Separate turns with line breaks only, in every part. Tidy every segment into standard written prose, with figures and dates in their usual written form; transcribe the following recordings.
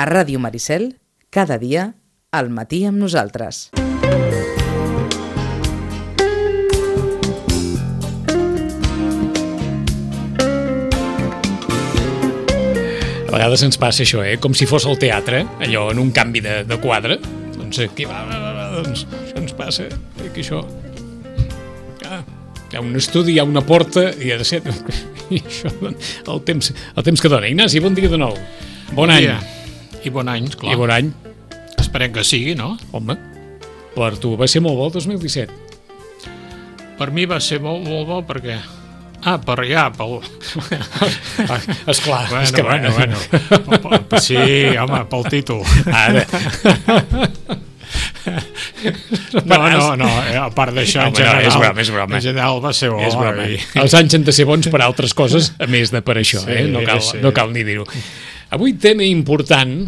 A Ràdio Maricel, cada dia, al matí amb nosaltres.
A vegades ens passa això, com si fos el teatre, allò en un canvi de quadre. Doncs aquí doncs això ens passa, que això... Hi ha un estudi, hi ha una porta, i ha de ser... I això, el temps que dona. Ignasi, bon dia de nou. Bon any.
I bon any, clar.
I bon any.
Esperem que sigui, no?
Home, per tu va ser molt bo el 2017.
Per mi va ser molt bo perquè... per allà, pel...
Esclar,
bueno,
és que
bueno. Sí, home, pel títol.
Ara.
No, a part d'això, en general,
és broma.
En general va ser bo.
És broma. Els anys han de ser bons per altres coses, a més de per això,
sí,
no cal ni dir-ho. Avui tema important,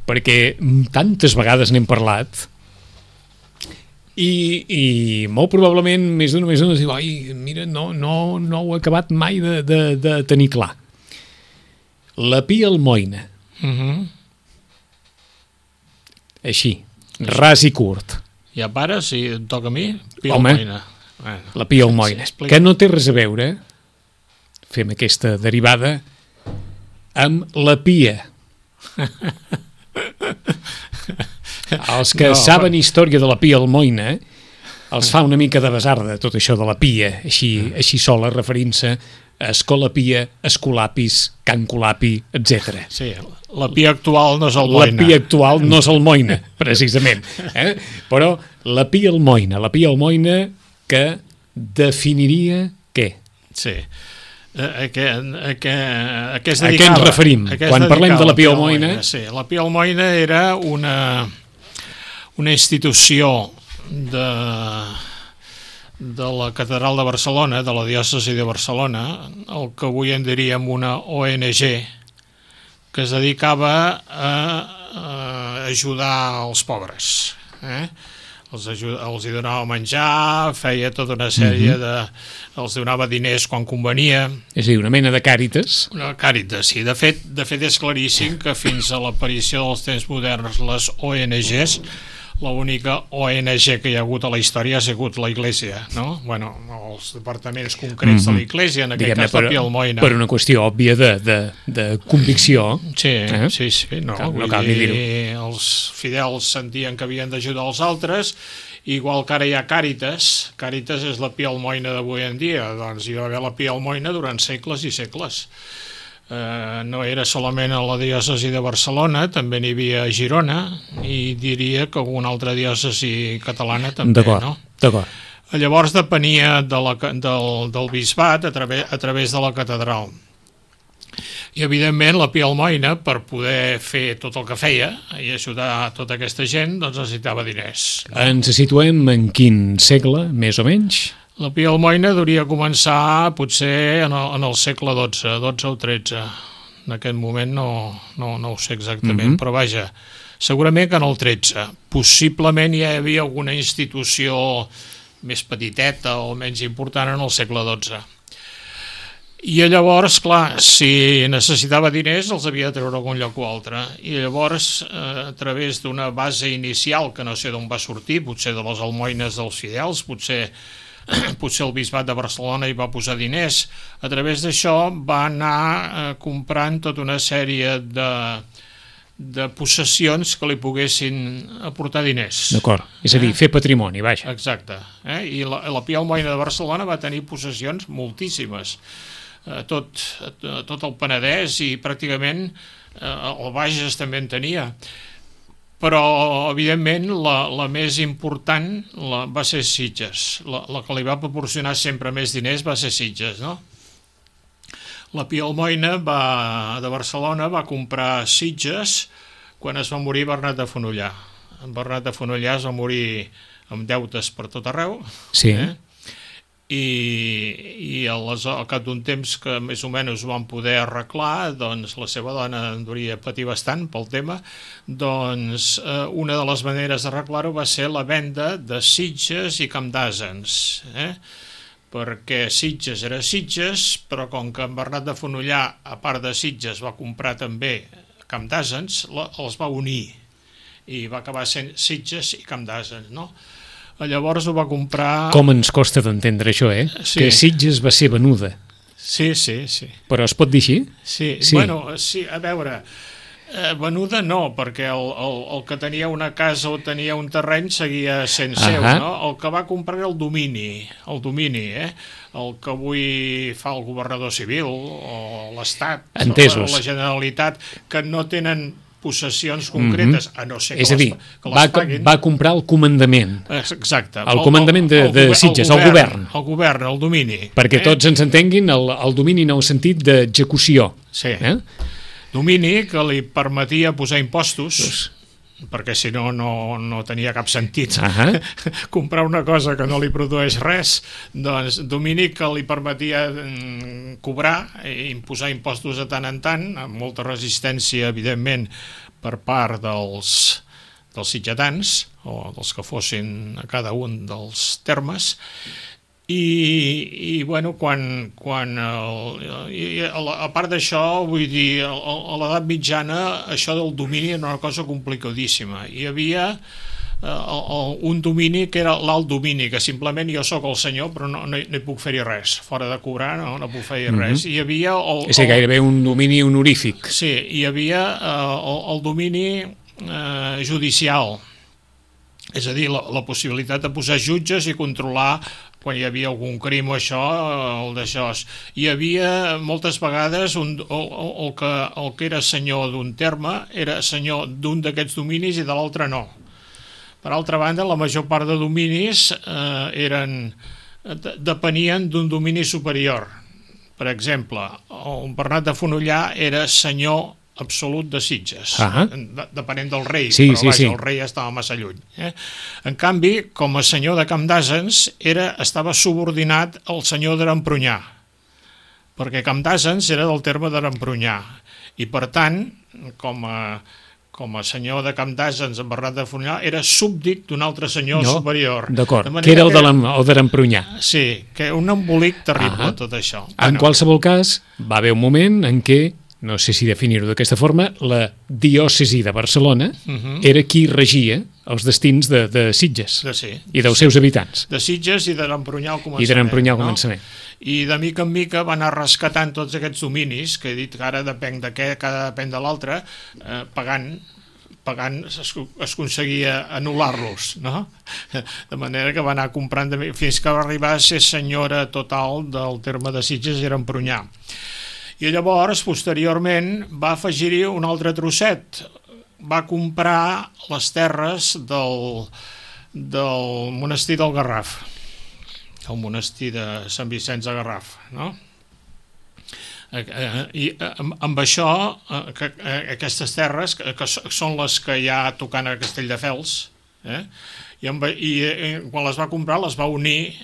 perquè tantes vegades n'hem parlat, i molt probablement més d'una diu, ai, mira, no ho he acabat mai de tenir clar. La Pia Almoina. Així, ras i curt.
I a part, si em toca a mi, Pia
Home,
Almoina.
La Pia Almoina, que no té res a veure, fem aquesta derivada, amb la Pia. Els que saben història de la Pia Almoina els fa una mica de basarda tot això de la Pia, així sola, referint-se a Escola Pia, Escolapis, Can Colapi, etc.
Sí, la Pia actual no és Almoina.
La Pia actual no és Almoina, precisament. Però la Pia Almoina que definiria què?
Sí. A què es dedicava?
A què ens referim quan parlem de la Pia Almoina?
Sí, la Pia Almoina era una institució de la Catedral de Barcelona, de la diòcesi de Barcelona, el que avui en diríem una ONG, que es dedicava a ajudar els pobres. Els hi donava menjar, feia tota una sèrie els donava diners quan convenia.
És a dir, una mena de càritas.
Una càritas, sí. De fet és claríssim que fins a l'aparició dels temps moderns les ONGs, l'única ONG que hi ha hagut a la història ha sigut la Iglésia, no? Bueno, els departaments concrets de la Iglésia, en aquest cas la Pia Almoina.
Per una qüestió òbvia de convicció.
Sí, sí. No
cal ni dir-ho.
Els fidels sentien que havien d'ajudar els altres, igual que ara hi ha Càritas. Càritas és la Pia Almoina d'avui en dia. Doncs hi va haver la Pia Almoina durant segles i segles. No era solament a la diòcesi de Barcelona, també n'hi havia a Girona, i diria que alguna altra diòcesi catalana també, no?
D'acord.
Llavors depenia del bisbat a través de la catedral. I evidentment la Pia Almoina, per poder fer tot el que feia i ajudar tota aquesta gent, doncs necessitava diners.
Ens situem en quin segle, més o menys?
La Pia Almoina hauria començar potser en el segle XII o XIII. En aquest moment no ho sé exactament, però vaja, segurament que en el XIII. Possiblement hi havia alguna institució més petiteta o menys important en el segle XII. I llavors, clar, si necessitava diners els havia de treure a algun lloc o altre. I llavors, a través d'una base inicial, que no sé d'on va sortir, potser de les almoines dels fidels, potser el bisbat de Barcelona hi va posar diners. A través d'això va anar comprant tota una sèrie de possessions que li poguessin aportar diners.
D'acord, és a dir, fer patrimoni, vaja.
Exacte. I la Pia Almoina de Barcelona va tenir possessions moltíssimes. Tot el Penedès i pràcticament el Bages també en tenia. Però, evidentment, la més important va ser Sitges. La que li va proporcionar sempre més diners va ser Sitges, no? La Pia Almoina de Barcelona va comprar Sitges quan es va morir Bernat de Fenollar. Bernat de Fenollar es va morir amb deutes per tot arreu.
Sí.
I al cap d'un temps que més o menys ho van poder arreglar, doncs la seva dona en devia patir bastant pel tema, doncs una de les maneres d'arreglar-ho va ser la venda de Sitges i Camp d'Àsens, perquè Sitges era Sitges, però com que en Bernat de Fenollar, a part de Sitges, va comprar també Camp d'Àsens, els va unir i va acabar sent Sitges i Camp d'Àsens, no? Llavors ho va comprar...
Com ens costa d'entendre això,
Sí.
Que Sitges va ser venuda.
Sí.
Però es pot dir així?
Sí. Bueno, sí, a veure, venuda no, perquè el que tenia una casa o tenia un terreny seguia sent seu, no? El que va comprar era el domini, el que avui fa el governador civil o l'Estat, o la Generalitat, que no tenen possessions concretes, a no ser que
és a dir,
que les paguin.
Va comprar el comandament.
Exacte.
El comandament de Sitges, el govern.
El govern, el domini.
Perquè tots ens entenguin el domini en el sentit d'execució.
Sí. Domini que li permetia posar impostos, perquè si no, no tenia cap sentit comprar una cosa que no li produeix res, doncs domini que li permetia cobrar i imposar impostos de tant en tant, amb molta resistència, evidentment, per part dels sitgetans, o dels que fossin a cada un dels termes, i bueno, a part d'això, vull dir, a l'edat mitjana això del domini era una cosa complicadíssima. Hi havia un domini que era l'alt domini, que simplement jo sóc el senyor però no hi puc fer-hi res, fora de cobrar no puc fer-hi res. Hi havia
és gairebé un domini honorífic.
Sí, hi havia el domini judicial, és a dir, la possibilitat de posar jutges i controlar quan hi havia algun crim o això, el d'això. Hi havia moltes vegades el que era senyor d'un terme era senyor d'un d'aquests dominis i de l'altre no. Per altra banda, la major part de dominis depenien d'un domini superior. Per exemple, el Bernat de Fonollar era senyor absolut de Sitges, depenent del rei, però vaja, el rei estava massa lluny. En canvi, com a senyor de Camp d'Àsens, estava subordinat al senyor d'Arempronyà, perquè Camp d'Àsens era del terme d'Arempronyà, i per tant, com a senyor de Camp d'Àsens, en Bernat de Fonollar, era súbdit d'un altre senyor superior.
D'acord, que era el d'Arempronyà.
Sí, que un embolic terrible, tot això.
En qualsevol cas, va haver un moment en què, no sé si definir-ho d'aquesta forma, la diòcesi de Barcelona era qui regia els destins de Sitges i dels seus habitants.
De Sitges i d'Arempronyà al començament. I de mica en mica va anar rescatant tots aquests dominis, que he dit que ara depèn de què, cada depèn de l'altre, pagant es aconseguia anul·lar-los, no? De manera que va anar comprant fins que va arribar a ser senyora total del terme de Sitges i Arempronyà. I llavors, posteriorment, va afegir-hi un altre trosset. Va comprar les terres del monestir del Garraf, el monestir de Sant Vicenç de Garraf, no? I amb això, aquestes terres, que són les que hi ha tocant a Castelldefels, i quan les va comprar les va unir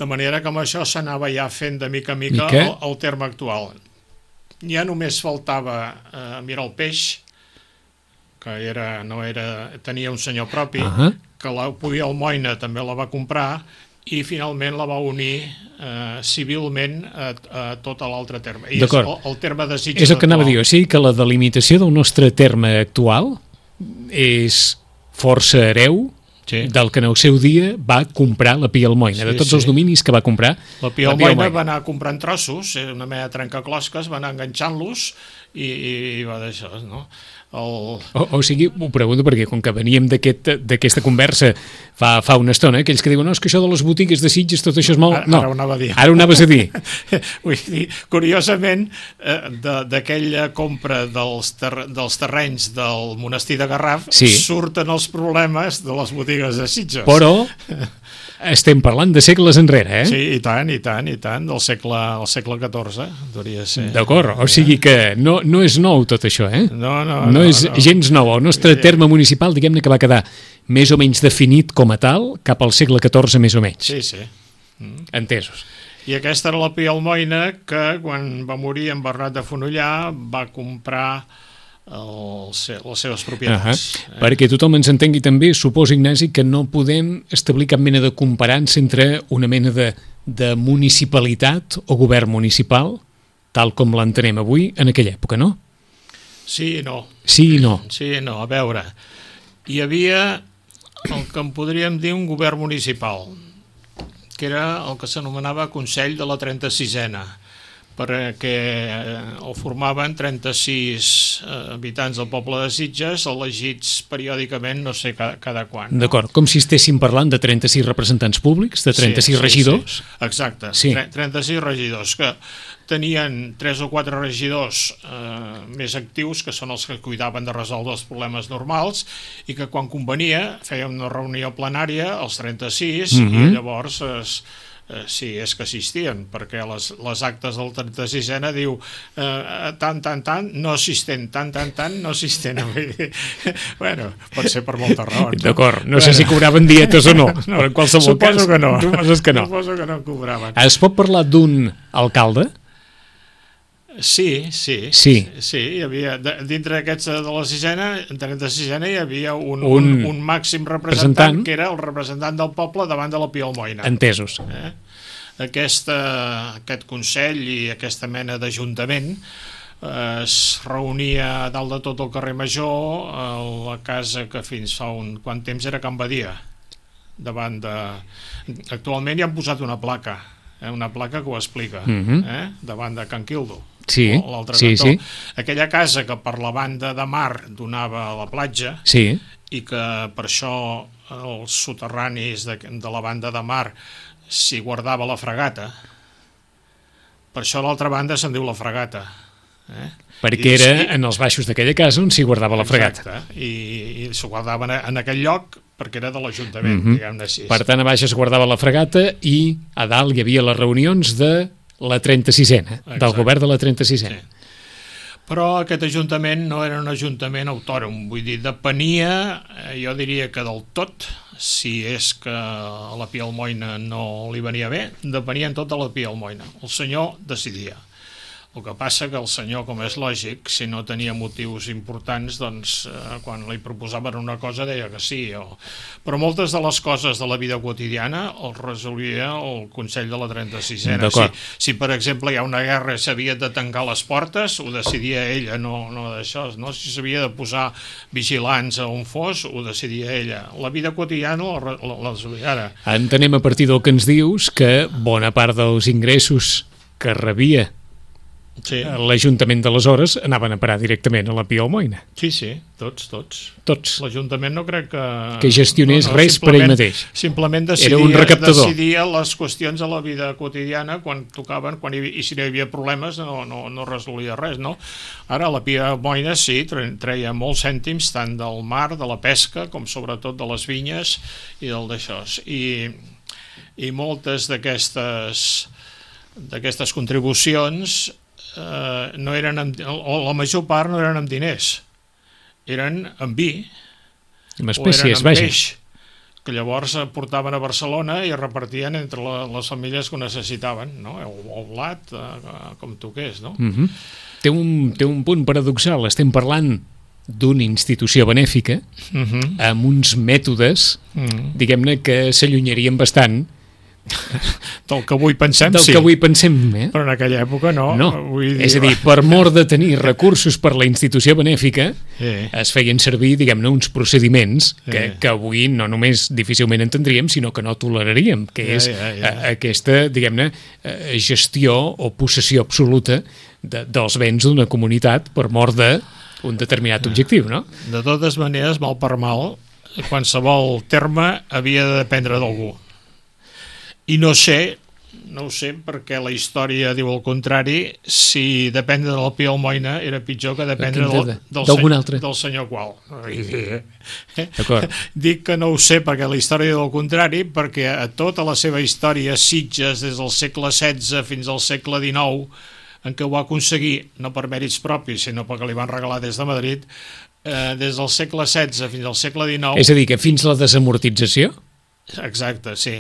de manera que amb això s'anava ja fent de mica en mica el terme actual. Ja només faltava Miralpeix, que tenia un senyor propi, que la podia Almoina també la va comprar, i finalment la va unir civilment a tot l'altre terme. I el terme de Sitges
és el que anava a dir, o sigui que la delimitació del nostre terme actual és força hereu del que en el seu dia va comprar la Pia Almoina, de tots els dominis que va comprar.
La Pia Almoina va anar comprant trossos, una mena de trencaclosques, va anar enganxant-los i va d'això, no?
O sigui, ho pregunto perquè com que veníem d'aquesta conversa fa una estona, aquells que diuen no, és que això de les botigues de Sitges, tot això és molt... No,
ara ho anava a dir.
Ara ho anaves a dir.
Vull dir, curiosament, d'aquella compra dels terrenys del monestir de Garraf surten els problemes de les botigues de Sitges.
Però estem parlant de segles enrere,
Sí, i tant, del segle XIV, hauria de ser.
D'acord, o sigui que no és nou tot això,
No
és gens nou. El nostre terme municipal, diguem-ne que va quedar més o menys definit com a tal cap al segle XIV, més o menys.
Sí.
Entesos.
I aquesta era la Pia Almoina que, quan va morir en Bernat de Fonollar, va comprar les seves propietats.
Perquè tothom ens entengui també, suposo, Ignasi, que no podem establir cap mena de comparança entre una mena de municipalitat o govern municipal, tal com l'entenem avui, en aquella època, no?
Sí i no.
Sí i no.
Sí i no, a veure. Hi havia el que en podríem dir un govern municipal, que era el que s'anomenava Consell de la 36ena, perquè el formaven 36 habitants del poble de Sitges, elegits periòdicament, no sé cada quan.
D'acord, com si estéssim parlant de 36 representants públics, de 36 regidors.
Sí. Exacte,
sí.
36 regidors, que tenien 3 o 4 regidors més actius, que són els que cuidaven de resoldre els problemes normals, i que quan convenia feien una reunió plenària, els 36, i llavors sí, és que assistien, perquè les actes del 36ena diu tant, no assistent, tant, no assistent. Bueno, pot ser per moltes raons.
D'acord, no sé si cobraven dietes o no, però en qualsevol cas...
Suposo que no.
Suposo
que no cobraven.
Es pot parlar d'un alcalde?
Sí. Hi havia, dintre d'aquests de la 36ena hi havia un màxim representant, que era el representant del poble davant de la Pia Almoina.
Entesos.
Aquest Consell i aquesta mena d'ajuntament es reunia a dalt de tot el carrer Major, a la casa que fins fa quant temps era Can Badia. Actualment hi han posat una placa que ho explica, davant de Can Quildo.
Sí.
Aquella casa que per la banda de mar donava a la platja, i que per això els soterranis de la banda de mar s'hi guardava la fregata, per això a l'altra banda se'n diu la fregata.
Perquè era en els baixos d'aquella casa on s'hi guardava la fregata.
Exacte, i s'ho guardava en aquell lloc perquè era de l'Ajuntament, diguem-ne així.
Per tant, a baix es guardava la fregata i a dalt hi havia les reunions de la 36ena, del govern de la 36ena.
Sí. Però aquest ajuntament no era un ajuntament autònom, vull dir, depenia, jo diria que del tot, si és que a la Pia Almoina no li venia bé, depenien tot de la Pia Almoina. El senyor decidia. El que passa que el senyor, com és lògic, si no tenia motius importants, doncs quan li proposaven una cosa deia que sí. Però moltes de les coses de la vida quotidiana els resolia el Consell de la 36ena. Si per exemple hi ha una guerra i s'havia de tancar les portes, ho decidia ella, no d'això. No? Si s'havia de posar vigilants a on fos, ho decidia ella. La vida quotidiana la resolia ara.
Entenem a partir del que ens dius que bona part dels ingressos que rebia l'Ajuntament d'aleshores anaven a parar directament a la Pia Almoina.
Sí, tots. L'Ajuntament no crec
que gestionés res per ell mateix.
Simplement decidia les qüestions de la vida quotidiana quan tocaven, i si no hi havia problemes no resolia res, no? Ara la Pia Almoina sí, treia molts cèntims tant del mar, de la pesca, com sobretot de les vinyes i del d'això. I moltes d'aquestes contribucions no eren la major part no eren amb diners, eren amb vi o eren amb peix, que llavors portaven a Barcelona i repartien entre les famílies que ho necessitaven, no? O blat, com toqués, no?
Té un punt paradoxal, estem parlant d'una institució benèfica amb uns mètodes, diguem-ne, que s'allunyarien bastant
del que avui pensem,
però
en aquella època no.
És a dir, per mort de tenir recursos per la institució benèfica, es feien servir, diguem-ne, uns procediments que avui no només difícilment entendríem, sinó que no toleraríem, que és aquesta, diguem-ne, gestió o possessió absoluta dels béns d'una comunitat per mort d'un determinat objectiu, no?
De totes maneres, mal per mal, qualsevol terme havia de dependre d'algú. I no sé perquè la història diu el contrari, si dependre de la Pia Almoina era pitjor que dependre del senyor qual. Dic que no ho sé perquè la història diu el contrari, perquè a tota la seva història Sitges, des del segle XVI fins al segle XIX, en què ho va aconseguir, no per mèrits propis, sinó perquè li van regalar des de Madrid, des del segle XVI fins al segle XIX...
És a dir, que fins la desamortització?
Exacte, sí.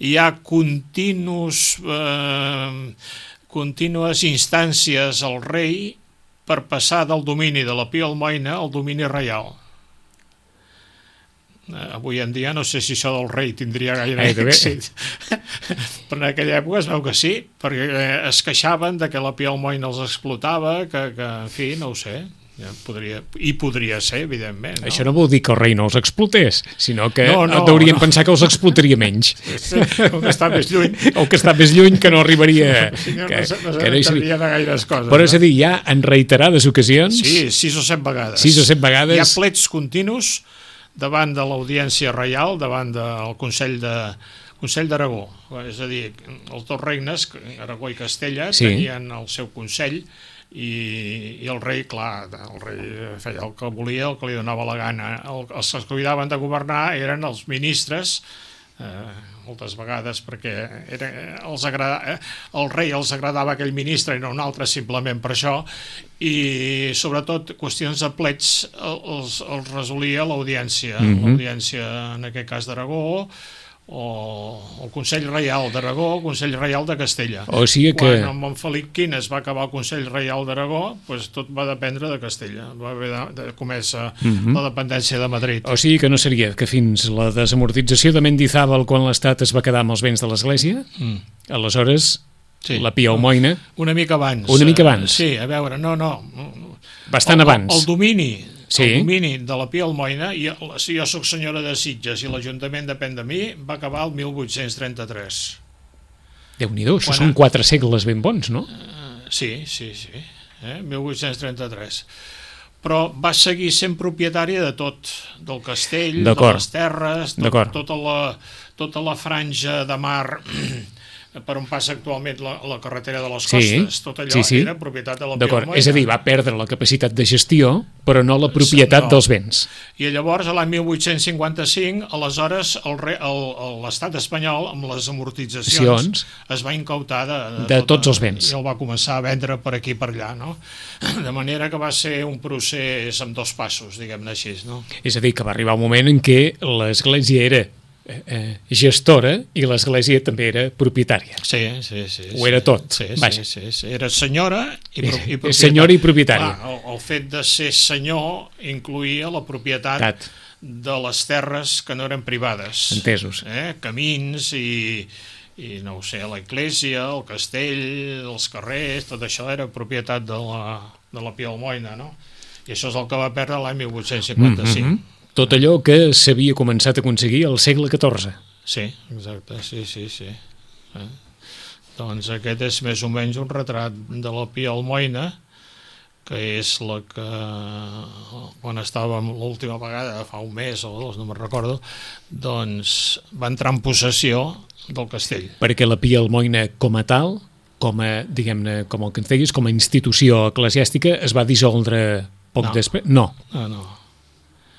Hi ha contínues instàncies al rei per passar del domini de la Pia Almoina al domini reial. Avui en dia no sé si això del rei tindria gaire èxit, però en aquella època es veu que sí, perquè es queixaven de que la Pia Almoina els explotava, que en fi, no ho sé. podria ser, evidentment. No?
Això no vol dir que el rei no els explotés, sinó que hauríem pensar que els explotaria menys.
O que està més lluny.
O que està més lluny, que no arribaria...
No s'assabentaria de gaires coses.
Però és a dir, ja en reiterades ocasions...
Sí, 6 o 7 vegades.
6 o 7 vegades...
Hi ha plets continus davant de l'Audiència Reial, davant del Consell d'Aragó. És a dir, els dos regnes, Aragó i Castella, tenien el seu consell i el rei, clar, el rei feia el que volia, el que li donava la gana. Els que es cuidaven de governar eren els ministres, moltes vegades perquè el rei els agradava aquell ministre i no un altre simplement per això, i sobretot qüestions de plets els resolia l'Audiència, l'Audiència en aquest cas d'Aragó, o el Consell Reial d'Aragó, el Consell Reial de Castella.
O sigui que...
Quan amb en Felip V es va acabar el Consell Reial d'Aragó, doncs tot va dependre de Castella. Va haver de començar la dependència de Madrid.
O sigui que no seria que fins la desamortització de Mendizábal, quan l'Estat es va quedar amb els béns de l'Església, aleshores la Pia Almoina...
Una mica abans.
Una mica abans.
Sí, a veure, no.
Bastant abans.
El domini...
Sí.
El domini de la Pia Almoina, si jo soc senyora de Sitges i l'Ajuntament depèn de mi, va acabar el 1833.
Déu-n'hi-do, això són 4 segles ben bons, no?
Sí. 1833. Però va seguir sent propietària de tot, del castell, de les terres, tota la franja de mar per on passa actualment la carretera de les costes, tot allò era propietat de la Pia Almoina.
És a dir, va perdre la capacitat de gestió, però no la propietat dels béns.
I llavors, a l'any 1855, aleshores, l'estat espanyol, amb les amortitzacions, es va incautar
de tots els béns.
I el va començar a vendre per aquí i per allà, no? De manera que va ser un procés amb 2 passos, diguem-ne així, no?
És a dir, que va arribar un moment en què l'Església era gestora i l'Església també era propietària.
Sí.
Ho era tot.
Sí. Era senyora i propietària.
Senyora i propietària.
El fet de ser senyor incluïa la propietat de les terres que no eren privades.
Entesos.
Camins i no ho sé, la església, el castell, els carrers, tot això era propietat de la Pia Almoina, no? I això és el que va perdre l'any 1855.
Tot allò que s'havia començat a aconseguir al segle XIV.
Sí, exacte, sí. Doncs aquest és més o menys un retrat de la Pia Almoina, que és la que, quan estàvem l'última vegada, fa un mes o 2, no me'n recordo, doncs va entrar en possessió del castell.
Perquè la Pia Almoina com a tal, diguem-ne, com el que ens diguis, com a institució eclesiàstica, es va dissoldre poc després? No.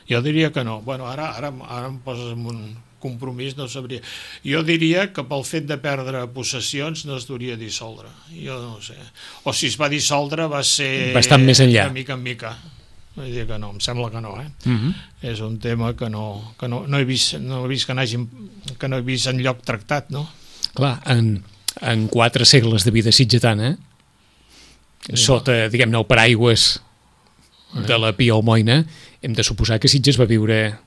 Jo diria que no. Bueno, ara em poses en un compromís, no sabria. Jo diria que pel fet de perdre possessions no es duria dissoldre. Jo no ho sé. O si es va dissoldre va ser...
bastant més enllà.
De mica en mica. Vull dir que no, em sembla que no, És un tema que no he vist que no he vist enlloc tractat, no?
Clar, en 4 segles de vida sitgetana, sota, diguem-ne, el paraigües de la Pia Almoina, hem de suposar que Sitges va viure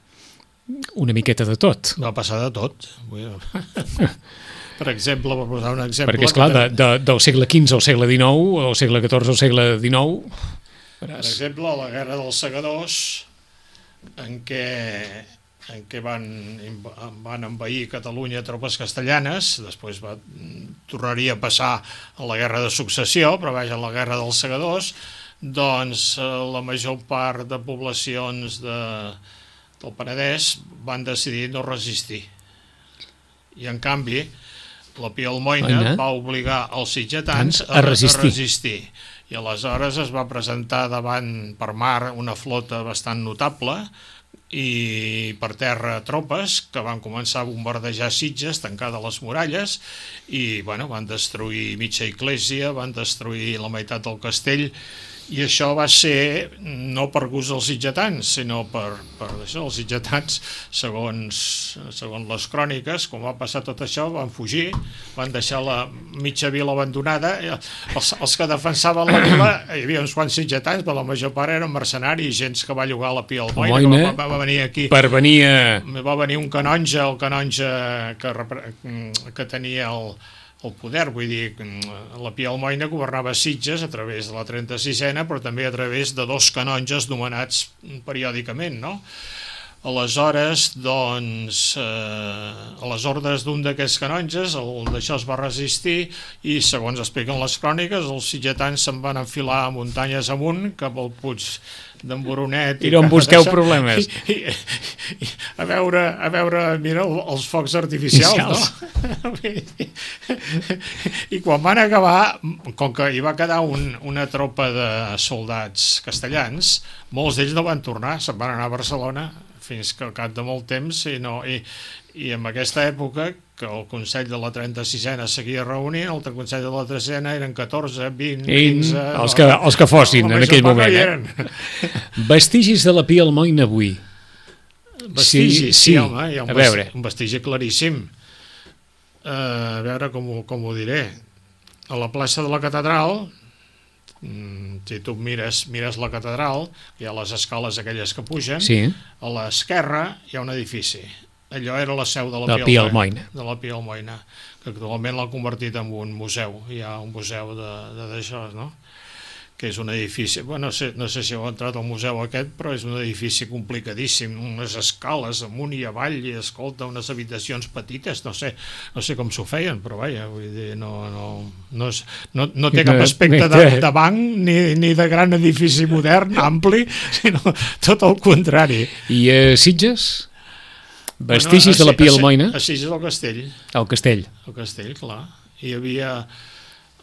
una miqueta de tot.
Va passar de tot. Per exemple, per posar un exemple...
Perquè, esclar, del segle XV al segle XIX, o al segle XIV al segle XIX...
Per exemple, la Guerra dels Segadors, en què van envair Catalunya tropes castellanes, després tornaria a passar a la Guerra de Successió, però vaja, la Guerra dels Segadors, doncs la major part de poblacions del Penedès van decidir no resistir. I en canvi, la Pia Almoina va obligar els sitgetans a resistir. I aleshores es va presentar davant per mar una flota bastant notable i per terra tropes que van començar a bombardejar Sitges, tancar de les muralles i van destruir mitja església, van destruir la meitat del castell. I això va ser no per gust dels sitgetans, sinó per això, els sitgetans, segons les cròniques, quan va passar tot això, van fugir, van deixar la mitja vila abandonada. Els que defensaven la vila, hi havia uns quants sitgetans, però la major part eren mercenaris, gent que va llogar la Pia Almoina, que va venir aquí. Va venir un canonge, el canonge que tenia el poder, vull dir, la Pia Almoina governava Sitges a través de la 36a, però també a través de 2 canonges nomenats periòdicament, no? Aleshores, doncs, a les ordres d'un d'aquests canonges, el d'això es va resistir i, segons expliquen les cròniques, els sitgetans se'n van enfilar muntanyes amunt cap al Puig d'en Boronet.
I no em busqueu problemes.
A veure, mira, els focs artificials, no? I quan van acabar, com que hi va quedar una tropa de soldats castellans, molts d'ells no van tornar, se'n van anar a Barcelona fins que al cap de molt temps i en aquesta època que el Consell de la 36a seguia reunint, el Consell de la 13a eren 14, 20, 15...
Els que fossin en aquell moment. Vestigis de la Pia Almoina avui.
Vestigis, sí, home, hi ha un vestigi claríssim. A veure com ho diré. A la plaça de la Catedral, si tu mires la catedral, hi ha les escales aquelles que pugen,
sí.
A l'esquerra hi ha un edifici. Allò era la seu de la
Pia Almoina.
De la Pia Almoina, que actualment l'ha convertit en un museu. Hi ha un museu d'això, no? Que és un edifici, bueno, no sé si heu entrat al museu aquest, però és un edifici complicadíssim, unes escales amunt i avall i, escolta, unes habitacions petites, no sé com s'ho feien, però vaja, vull dir, no té cap aspecte de banc ni de gran edifici modern, ampli, sinó tot el contrari.
I a Sitges? Vestigis de la Pia Almoina?
A Sitges al castell.
Al castell.
Al castell, clar. Hi havia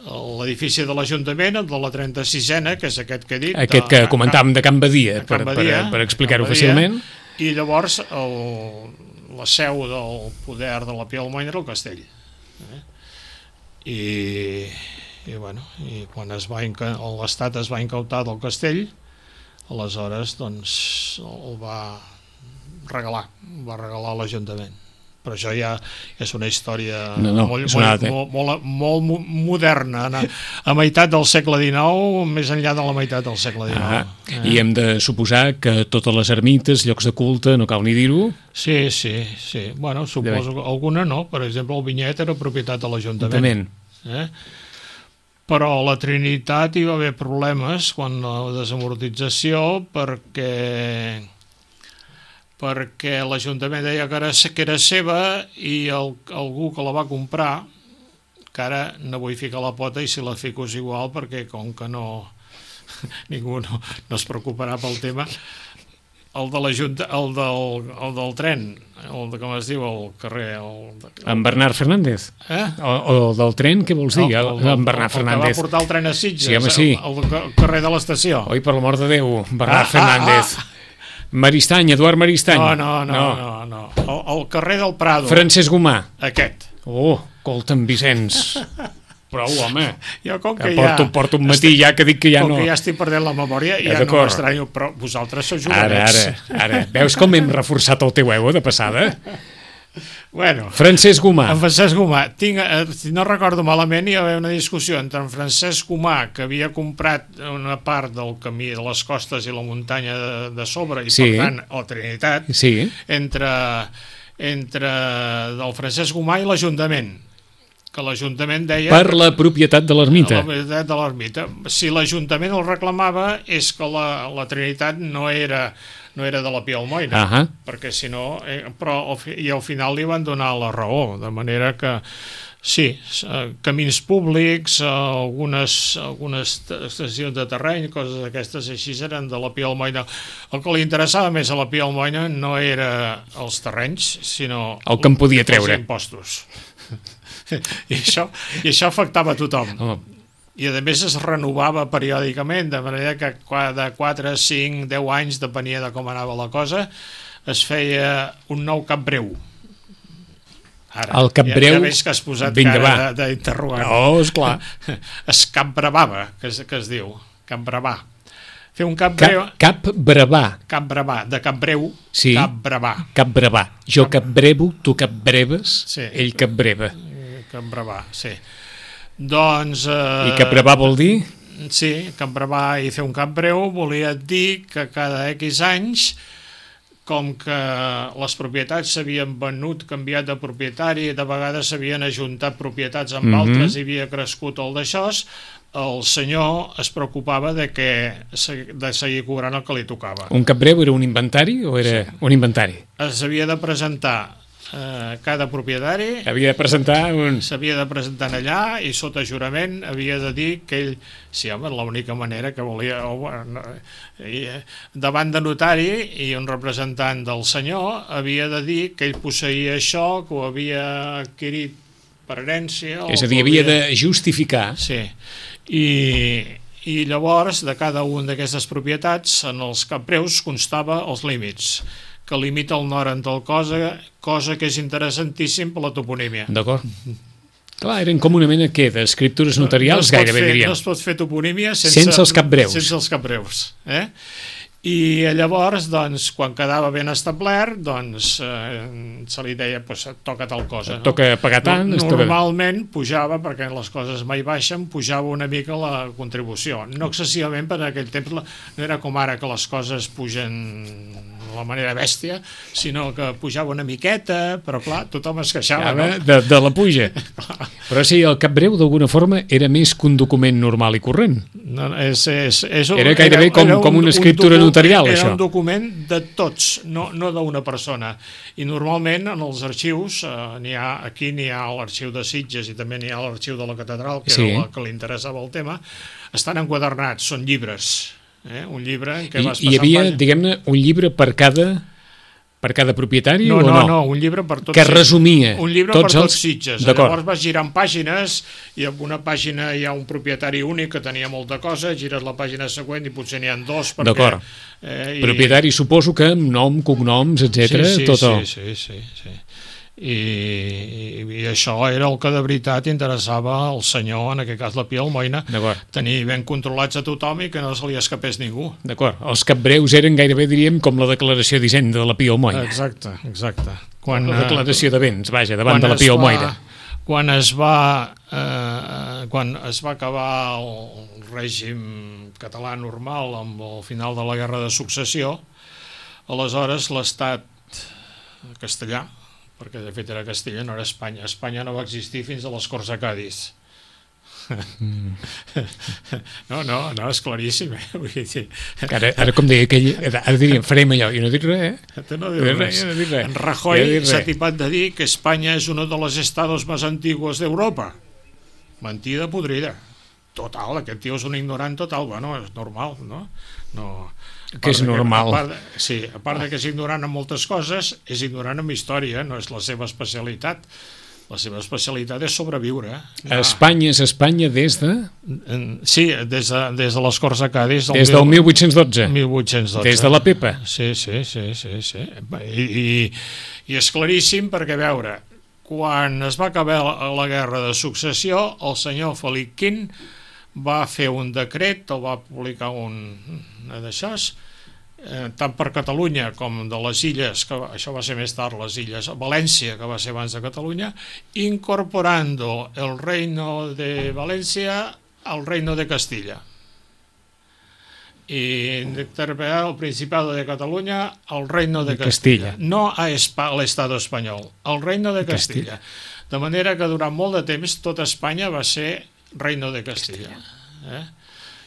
l'edifici de l'Ajuntament, el de la 36a, que és aquest que he dit.
Aquest que comentàvem de Can Badia, per explicar-ho fàcilment.
I llavors la seu del poder de la Pia Almoina era el castell. I quan l'Estat es va incautar del castell, aleshores doncs el va regalar a l'Ajuntament. Però això ja és una història molt moderna, a meitat del segle XIX, més enllà de la meitat del segle XIX.
I hem de suposar que totes les ermites, llocs de culte, no cal ni dir-ho?
Sí. Bueno, suposo que alguna no. Per exemple, el Vinyet era propietat de l'Ajuntament. Però a la Trinitat hi va haver problemes quan la desamortització perquè l'Ajuntament deia que era seva i algú que la va comprar, que ara no vull ficar la pota i si la fico és igual perquè com que ningú no es preocuparà pel tema, el del tren, com es diu el carrer?
En Bernat Fernández? O del tren, què vols dir? En Bernat Fernández.
El que va portar el tren a Sitges,
el
carrer de l'estació.
Oi, per l'amor de Déu, Bernat Fernández. Maristany, Eduard Maristany.
No. El carrer del Prado.
Francesc Gomà.
Aquest.
Colta'm, Vicenç. Prou, home.
Jo com que
porto un matí ja que dic que ja no...
Com que ja estic perdent la memòria, ja no m'estranyo, però vosaltres sou jovenets.
Ara. Veus com hem reforçat el teu ego de passada?
Bueno,
Francesc Gomà.
En Francesc Gomà. Si no recordo malament, hi va haver una discussió entre en Francesc Gomà, que havia comprat una part del camí de les costes i la muntanya de sobre, i per tant, la Trinitat, entre el Francesc Gomà i l'Ajuntament, que l'Ajuntament deia...
Per la propietat de l'ermita.
La propietat de l'ermita. Si l'Ajuntament el reclamava és que la Trinitat no era de la Pia Almoina, perquè si no... I al final li van donar la raó, de manera que sí, camins públics, algunes estacions de terreny, coses d'aquestes així eren de la Pia Almoina. El que li interessava més a la Pia Almoina no era els terrenys, sinó
el que en podia treure.
Els impostos. I això afectava a tothom. I a més es renovava periòdicament, de manera que cada 4, 5, 10 anys, depenia de com anava la cosa, es feia un nou cap breu. Ara,
el cap breu...
Ja veig que has posat cara d'interrogant.
No, esclar.
Es cap bravava, que es diu. Cap bravà. Fer un cap breu...
Cap bravà.
Cap bravà, de cap breu,
sí.
Cap bravà.
Cap bravà. Jo cap brevo, tu cap breves, sí. Ell cap breva.
Cap bravà, sí. Doncs...
I cap bravà vol dir?
Sí, cap bravà i fer un cap breu volia dir que cada X anys com que les propietats s'havien venut, canviat de propietari, de vegades s'havien ajuntat propietats amb altres i havia crescut el d'això, el senyor es preocupava de seguir cobrant el que li tocava.
Un capbreu era un inventari o era un inventari?
S'havia de presentar cada propietari,
s'havia
de presentar allà i sota jurament havia de dir que ell, sí, home, l'única manera que volia, davant de notari i un representant del senyor havia de dir que ell posseïa això, que ho havia adquirit per herència.
És a dir, havia de justificar.
Sí, i llavors de cada un d'aquestes propietats en els capbreus constava els límits, que limita el nord en tal cosa que és interessantíssim per la toponímia.
D'acord. Clar, eren com una mena d'escriptures notarials, gairebé diríem.
No es pot fer toponímia
sense els capbreus.
Sense els capbreus. I llavors, doncs, quan quedava ben establert, doncs, se li deia, toca tal cosa.
Toca pagar tant.
Normalment pujava, perquè les coses mai baixen, pujava una mica la contribució. No excessivament, per aquell temps no era com ara que les coses pugen de la manera bèstia, sinó que pujava una miqueta, però clar, tothom es queixava.
De la puja. Però sí, el capbreu d'alguna forma era més que un document normal i corrent.
Era
gairebé com una escriptura notarial, això.
Era un document de tots, no d'una persona. I normalment en els arxius, aquí n'hi ha l'arxiu de Sitges i també n'hi ha l'arxiu de la catedral, que era el que li interessava el tema, estan enquadernats, són llibres. Un llibre en què vas passant...
Hi havia, diguem-ne, un llibre per cada propietari o no?
No, un llibre per tots.
Que resumia
un llibre per tots Sitges.
D'acord.
Llavors vas girant pàgines i en una pàgina hi ha un propietari únic que tenia molta cosa, gires la pàgina següent i potser n'hi ha dos.
D'acord. Propietari suposo que amb nom, cognoms, etc.
Sí. I això era el que de veritat interessava al senyor, en aquest cas la Pia Almoina, tenir ben controlats a tothom i que no se li escapés ningú.
D'acord, els capbreus eren gairebé, diríem, com la declaració d'Hisenda de la Pia Almoina.
Exacte.
La declaració de béns, vaja, davant de la Pia Almoina.
Quan es va acabar el règim català normal amb el final de la Guerra de Successió, aleshores l'Estat castellà, perquè de fet era Castella, no era Espanya. Espanya no va existir fins a les Corts de Cadis. No, és claríssim.
Ara com deia aquell, ara diríem, farem allò, i no dic res,
No dic res. En Rajoy s'ha tipat de dir que Espanya és uno de los estados más antiguos d'Europa. Mentida podrida. Total, aquest tio és un ignorant total. Bueno, és normal, no?
Que és normal.
A part de que és ignorant en moltes coses, és ignorant en història, no és la seva especialitat. La seva especialitat és sobreviure.
Espanya és Espanya des de...
Sí, des de les Corts de Cadis.
Des del 1812.
1812.
Des de la Pepa.
Sí. I és claríssim perquè, a veure, quan es va acabar la Guerra de Successió, el senyor Felip V va fer un decret, el va publicar d'això, tant per Catalunya com de les illes, que això va ser més tard, les illes València, que va ser abans de Catalunya, incorporando el reino de València al reino de Castilla. Y interpretar el Principado de Cataluña al reino de Castilla. No a l'Estado espanyol, al reino de Castilla. De manera que durant molt de temps tota Espanya va ser reino de Castilla.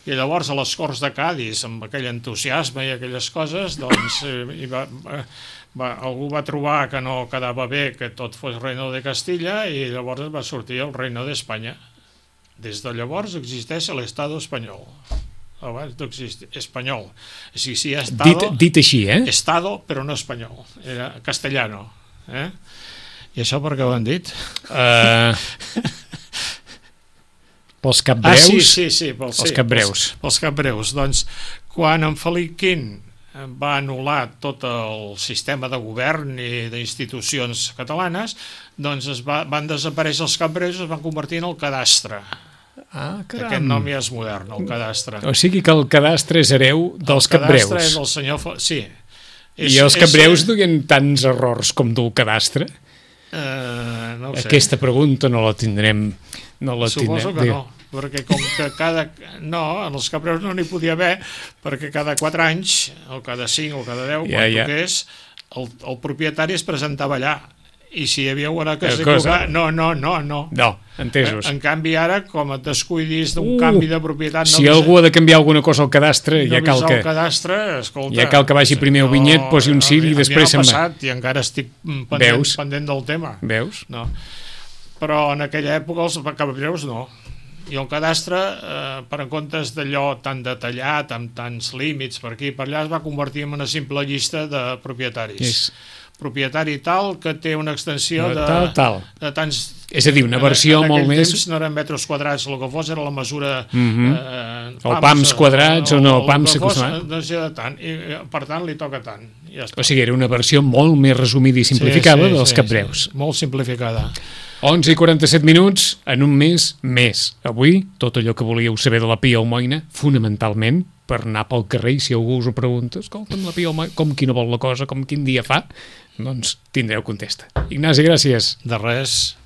I llavors a les Corts de Cadis, amb aquell entusiasme i aquelles coses, doncs algú va trobar que no quedava bé que tot fos reino de Castilla i llavors va sortir el reino d'Espanya. Des de llavors existeix l'Estado espanyol. Abans no existia, espanyol. O sigui, sí, estado,
dit així,
Estado, però no espanyol. Era castellano. I això per què ho han dit?
Pels capbreus?
Sí,
pels capbreus.
Pels capbreus. Doncs, quan en Felip V va anul·lar tot el sistema de govern i d'institucions catalanes, doncs van desaparèixer els capbreus i es van convertir en el cadastre. Aquest nom ja és modern, el cadastre.
O sigui que el cadastre és hereu dels capbreus.
El cadastre és el senyor... Sí.
I els capbreus duien tants errors com du el cadastre?
No ho sé.
Aquesta pregunta no la tindrem...
Suposo que no. perquè com que en els Capreus no n'hi podia haver, perquè cada 4 anys, o cada 5 o cada 10, quan toqués, el propietari es presentava allà. I si hi havia alguna cosa... No,
entesos.
En canvi, ara, com et descuidis d'un canvi de propietat...
Si algú ha de canviar alguna cosa al cadastre, ja cal que...
el cadastre, escolta...
Ja cal que vagi primer al vinyet, posi un ciri i després se'n va.
I encara estic pendent del tema.
Veus?
No. Però en aquella època els Capreus no. I el cadastre, per en comptes d'allò tan detallat, amb tants límits per aquí i per allà, es va convertir en una simple llista de propietaris. Propietari tal que té una extensió de tants...
És a dir, una versió molt més...
En aquell temps no eren metres quadrats, el que fos era la mesura...
O pams quadrats o no, pams...
No sé de tant, i per tant li toca tant.
O sigui, era una versió molt més resumida i simplificada dels Capreus.
Molt simplificada.
11 i 47 minuts, en un mes més. Avui, tot allò que volíeu saber de la Pia Almoina, fonamentalment, per anar pel carrer, i si algú us ho pregunta, escolta'm, la Pia Almoina, com qui no vol la cosa, com quin dia fa, doncs tindreu contesta. Ignasi, gràcies.
De res.